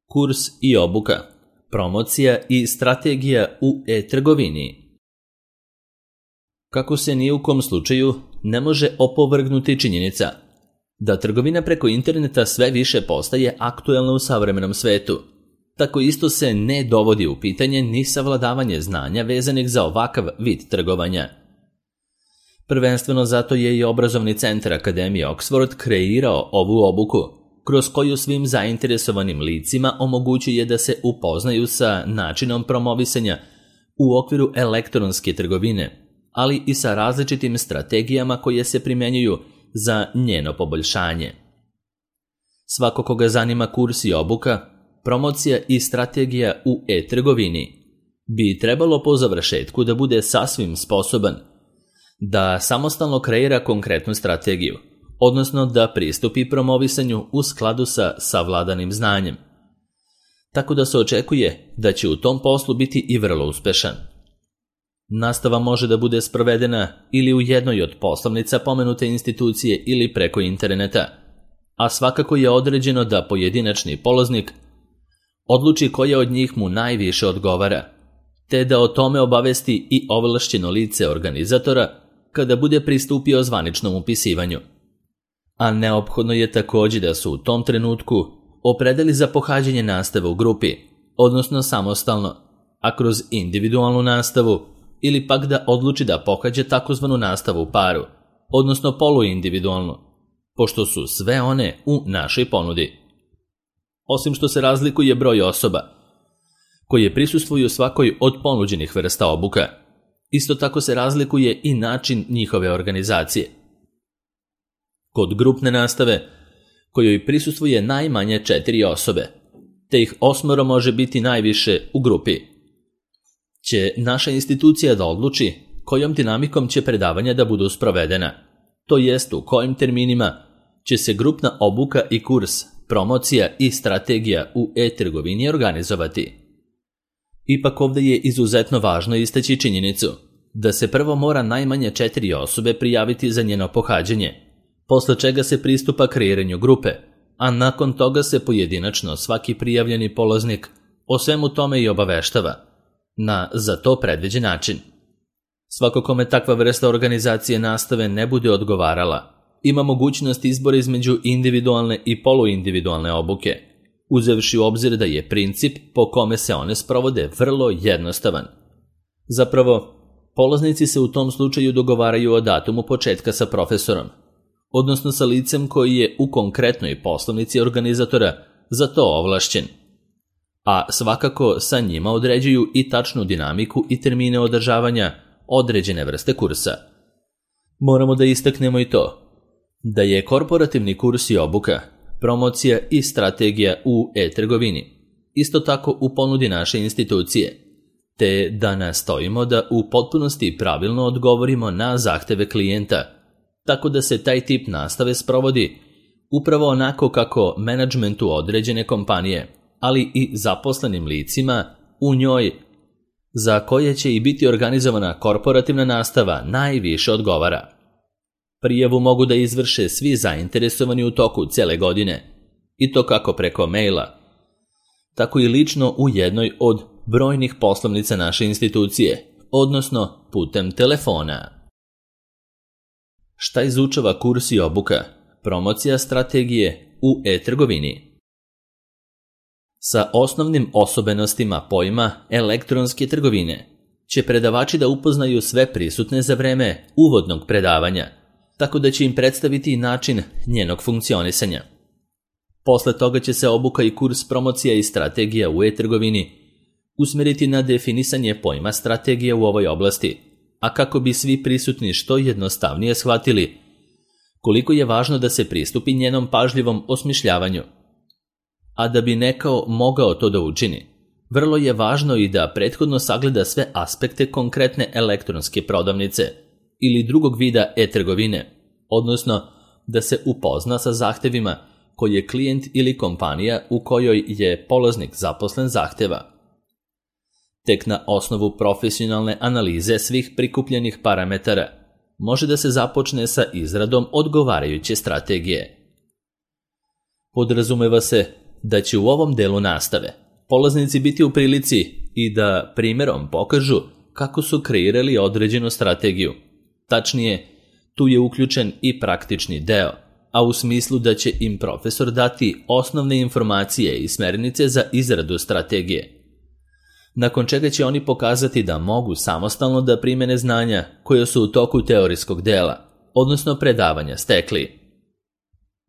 Kurs i obuka, promocija i strategija u e-trgovini. Kako se ni u kom slučaju ne može opovrgnuti činjenica da trgovina preko interneta sve više postaje aktuelna u savremenom svetu, tako isto se ne dovodi u pitanje ni savladavanje znanja vezanih za ovakav vid trgovanja. Prvenstveno zato je i obrazovni centar Akademije Oxford kreirao ovu obuku, kroz koju svim zainteresovanim licima omogućuje da se upoznaju sa načinom promovisanja u okviru elektronske trgovine, ali i sa različitim strategijama koje se primjenjuju za njeno poboljšanje. Svako koga zanima kurs i obuka, promocija i strategija u e-trgovini bi trebalo po završetku da bude sasvim sposoban da samostalno kreira konkretnu strategiju, odnosno da pristupi promovisanju u skladu sa savladanim znanjem. Tako da se očekuje da će u tom poslu biti i vrlo uspešan. Nastava može da bude sprovedena ili u jednoj od poslovnica pomenute institucije ili preko interneta, a svakako je određeno da pojedinačni polaznik odluči koja od njih mu najviše odgovara, te da o tome obavesti i ovlašćeno lice organizatora kada bude pristupio zvaničnom upisivanju. A neophodno je također da su u tom trenutku opredeli za pohađanje nastave u grupi, odnosno samostalno, a kroz individualnu nastavu ili pak da odluči da pohađa takozvanu nastavu u paru, odnosno poluindividualnu, pošto su sve one u našoj ponudi. Osim što se razlikuje broj osoba koje prisustvuju svakoj od ponuđenih vrsta obuka, isto tako se razlikuje i način njihove organizacije. Kod grupne nastave, kojoj prisustvuje najmanje 4 osobe, te ih 8 može biti najviše u grupi, će naša institucija da odluči kojom dinamikom će predavanja da budu sprovedena, to jest u kojim terminima će se grupna obuka i kurs, promocija i strategija u e-trgovini organizovati. Ipak ovdje je izuzetno važno istaći činjenicu da se prvo mora najmanje 4 osobe prijaviti za njeno pohađanje, posle čega se pristupa kreiranju grupe, a nakon toga se pojedinačno svaki prijavljeni polaznik o svemu tome i obaveštava na za to predviđen način. Svako kome takva vrsta organizacije nastave ne bude odgovarala, ima mogućnost izbora između individualne i poluindividualne obuke, uzevši u obzir da je princip po kome se one sprovode vrlo jednostavan. Zapravo, polaznici se u tom slučaju dogovaraju o datumu početka sa profesorom, odnosno sa licem koji je u konkretnoj poslovnici organizatora za to ovlašćen, a svakako sa njima određuju i tačnu dinamiku i termine održavanja određene vrste kursa. Moramo da istaknemo i to da je korporativni kurs i obuka, promocija i strategija u e-trgovini isto tako u ponudi naše institucije, te da nastojimo da u potpunosti pravilno odgovorimo na zahteve klijenta, tako da se taj tip nastave sprovodi upravo onako kako menadžmentu određene kompanije, ali i zaposlenim licima u njoj, za koje će i biti organizovana korporativna nastava, najviše odgovara. Prijavu mogu da izvrše svi zainteresovani u toku cele godine, i to kako preko maila, tako i lično u jednoj od brojnih poslovnica naše institucije, odnosno putem telefona. Šta izučava kurs i obuka, promocija strategije u e-trgovini? Sa osnovnim osobenostima pojma elektronske trgovine će predavači da upoznaju sve prisutne za vreme uvodnog predavanja, tako da će im predstaviti način njenog funkcionisanja. Posle toga će se obuka i kurs promocija i strategija u e-trgovini usmeriti na definisanje pojma strategije u ovoj oblasti, a kako bi svi prisutni što jednostavnije shvatili koliko je važno da se pristupi njenom pažljivom osmišljavanju. A da bi neko mogao to da učini, vrlo je važno i da prethodno sagleda sve aspekte konkretne elektronske prodavnice ili drugog vida e-trgovine, odnosno da se upozna sa zahtevima koje klijent ili kompanija u kojoj je polaznik zaposlen zahteva. Tek na osnovu profesionalne analize svih prikupljenih parametara može da se započne sa izradom odgovarajuće strategije. Podrazumeva se da će u ovom delu nastave polaznici biti u prilici i da primjerom pokažu kako su kreirali određenu strategiju. Tačnije, tu je uključen i praktični deo, a u smislu da će im profesor dati osnovne informacije i smernice za izradu strategije. Nakon čega će oni pokazati da mogu samostalno da primene znanja koje su u toku teorijskog dela, odnosno predavanja, stekli.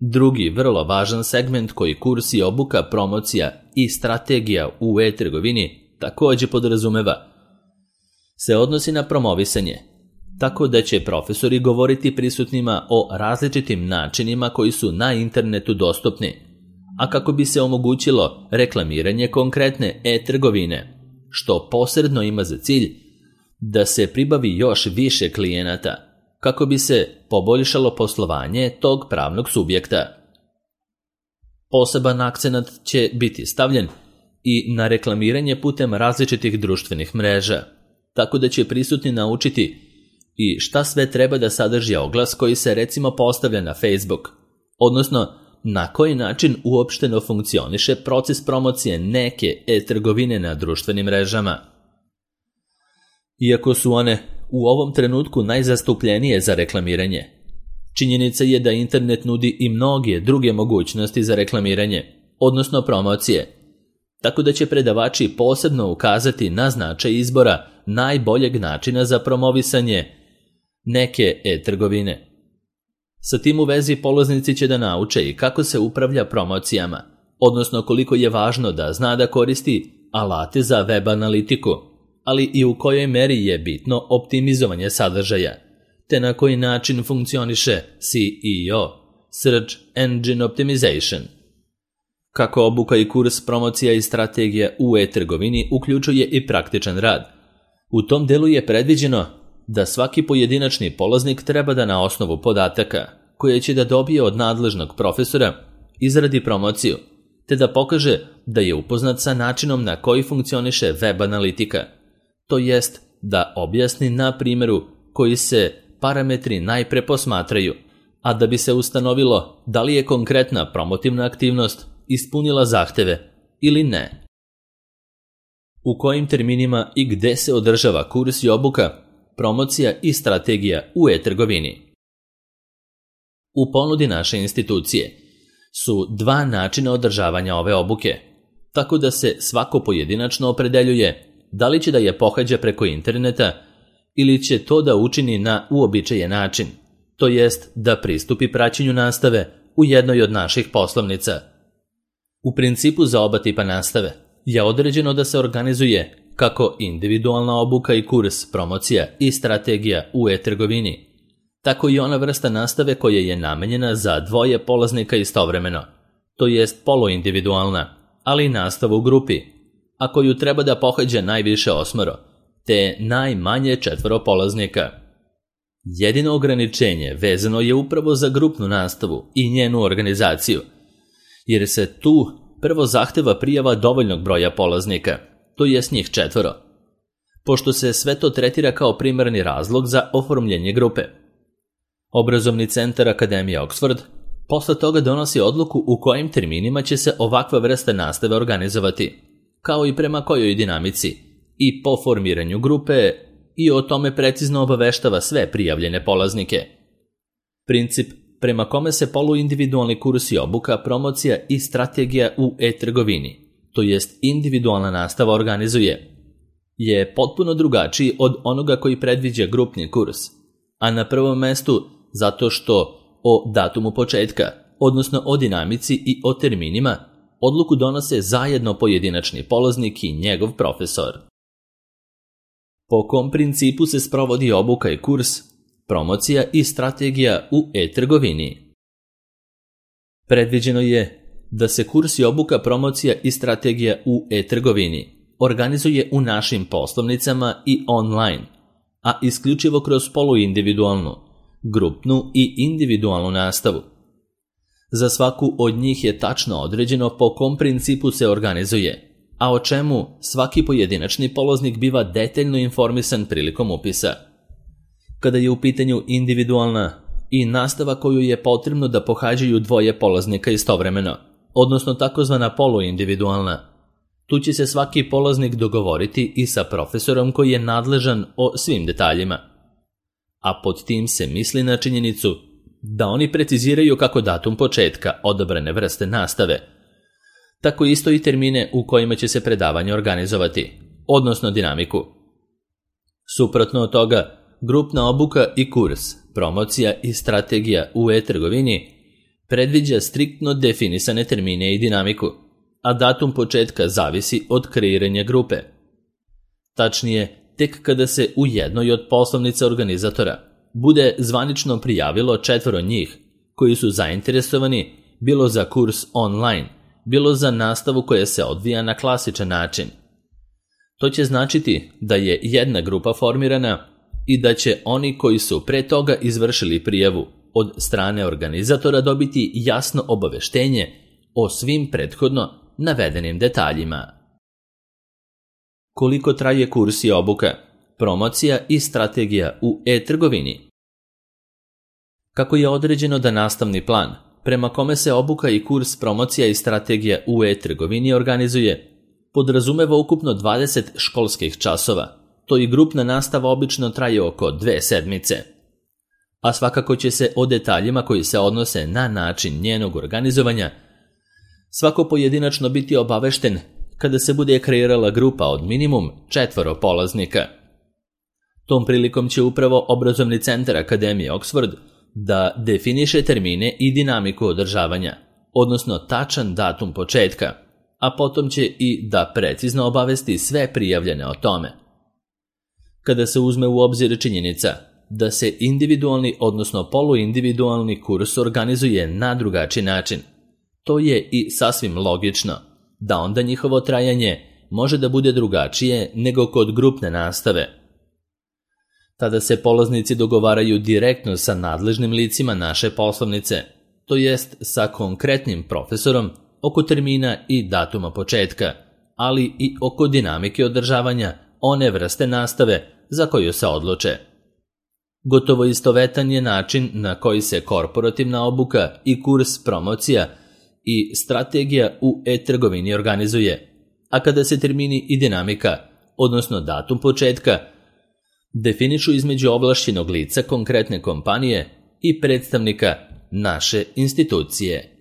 Drugi vrlo važan segment koji kurs i obuka, promocija i strategija u e-trgovini također podrazumeva se odnosi na promovisanje, tako da će profesori govoriti prisutnima o različitim načinima koji su na internetu dostupni, a kako bi se omogućilo reklamiranje konkretne e-trgovine, što posredno ima za cilj da se pribavi još više klijenata, kako bi se poboljšalo poslovanje tog pravnog subjekta. Poseban akcenat će biti stavljen i na reklamiranje putem različitih društvenih mreža, tako da će prisutni naučiti i šta sve treba da sadrži oglas koji se recimo postavlja na Facebook, odnosno na koji način uopšteno funkcioniše proces promocije neke e-trgovine na društvenim mrežama. Iako su one u ovom trenutku najzastupljenije za reklamiranje, činjenica je da internet nudi i mnoge druge mogućnosti za reklamiranje, odnosno promocije, tako da će predavači posebno ukazati na značaj izbora najboljeg načina za promovisanje neke e-trgovine. Sa tim u vezi polaznici će da nauče i kako se upravlja promocijama, odnosno koliko je važno da zna da koristi alate za web analitiku, ali i u kojoj meri je bitno optimizovanje sadržaja, te na koji način funkcioniše SEO, Search Engine Optimization. Kako obuka i kurs promocija i strategija u e-trgovini uključuje i praktičan rad. U tom delu je predviđeno da svaki pojedinačni polaznik treba da na osnovu podataka, koje će da dobije od nadležnog profesora, izradi promociju, te da pokaže da je upoznat sa načinom na koji funkcioniše web analitika, to jest da objasni na primjeru koji se parametri najpre posmatraju, a da bi se ustanovilo da li je konkretna promotivna aktivnost ispunila zahteve ili ne. U kojim terminima i gde se održava kurs i obuka, promocija i strategija u e-trgovini. U ponudi naše institucije su dva načina održavanja ove obuke, tako da se svako pojedinačno opredeljuje da li će da je pohađa preko interneta ili će to da učini na uobičajen način, to jest da pristupi praćenju nastave u jednoj od naših poslovnica. U principu za oba tipa nastave je određeno da se organizuje kako individualna obuka i kurs, promocija i strategija u e-trgovini, tako i ona vrsta nastave koja je namenjena za dvoje polaznika istovremeno, to jest poluindividualna, ali i nastava u grupi, a koju treba da pohađa najviše 8, te najmanje 4 polaznika. Jedino ograničenje vezano je upravo za grupnu nastavu i njenu organizaciju, jer se tu prvo zahteva prijava dovoljnog broja polaznika, to jest njih 4, pošto se sve to tretira kao primarni razlog za oformljenje grupe. Obrazovni centar Akademije Oxford posle toga donosi odluku u kojim terminima će se ovakva vrsta nastave organizovati, kao i prema kojoj dinamici, i po formiranju grupe, i o tome precizno obaveštava sve prijavljene polaznike. Princip prema kome se poluindividualni kurs i obuka, promocija i strategija u e-trgovini, to jest individualna nastava, organizuje, je potpuno drugačiji od onoga koji predviđa grupni kurs, a na prvom mestu zato što o datumu početka, odnosno o dinamici i o terminima, odluku donose zajedno pojedinačni polaznik i njegov profesor. Po kom principu se sprovodi obuka i kurs, promocija i strategija u e-trgovini? Predviđeno je da se kurs i obuka, promocija i strategija u e-trgovini organizuje u našim poslovnicama i online, a isključivo kroz poluindividualnu, grupnu i individualnu nastavu. Za svaku od njih je tačno određeno po kom principu se organizuje, a o čemu svaki pojedinačni polaznik biva detaljno informisan prilikom upisa. Kada je u pitanju individualna i nastava koju je potrebno da pohađaju dvoje polaznika istovremeno, odnosno takozvana poluindividualna. Tu će se svaki polaznik dogovoriti i sa profesorom koji je nadležan o svim detaljima. A pod tim se misli na činjenicu da oni preciziraju kako datum početka odabrane vrste nastave, tako isto i termine u kojima će se predavanje organizovati, odnosno dinamiku. Suprotno od toga, grupna obuka i kurs, promocija i strategija u e-trgovini predviđa striktno definisane termine i dinamiku, a datum početka zavisi od kreiranja grupe. Tačnije, tek kada se u jednoj od poslovnica organizatora bude zvanično prijavilo 4 njih koji su zainteresovani bilo za kurs online, bilo za nastavu koja se odvija na klasičan način. To će značiti da je jedna grupa formirana i da će oni koji su pre toga izvršili prijavu od strane organizatora dobiti jasno obaveštenje o svim prethodno navedenim detaljima. Koliko traje kurs i obuka, promocija i strategija u e-trgovini? Kako je određeno da nastavni plan, prema kome se obuka i kurs, promocija i strategija u e-trgovini organizuje, podrazumeva ukupno 20 školskih časova, to i grupna nastava obično traje oko 2 sedmice. A svakako će se o detaljima koji se odnose na način njenog organizovanja svako pojedinačno biti obavešten kada se bude kreirala grupa od minimum 4 polaznika. Tom prilikom će upravo obrazovni centar Akademije Oxford da definiše termine i dinamiku održavanja, odnosno tačan datum početka, a potom će i da precizno obavesti sve prijavljene o tome. Kada se uzme u obzir činjenica da se individualni, odnosno poluindividualni kurs organizuje na drugačiji način, to je i sasvim logično da onda njihovo trajanje može da bude drugačije nego kod grupne nastave. Tada se polaznici dogovaraju direktno sa nadležnim licima naše poslovnice, to jest sa konkretnim profesorom oko termina i datuma početka, ali i oko dinamike održavanja one vrste nastave za koju se odluče. Gotovo istovetan je način na koji se korporativna obuka i kurs, promocija i strategija u e-trgovini organizuje, a kada se termini i dinamika, odnosno datum početka, definišu između ovlašćenog lica konkretne kompanije i predstavnika naše institucije.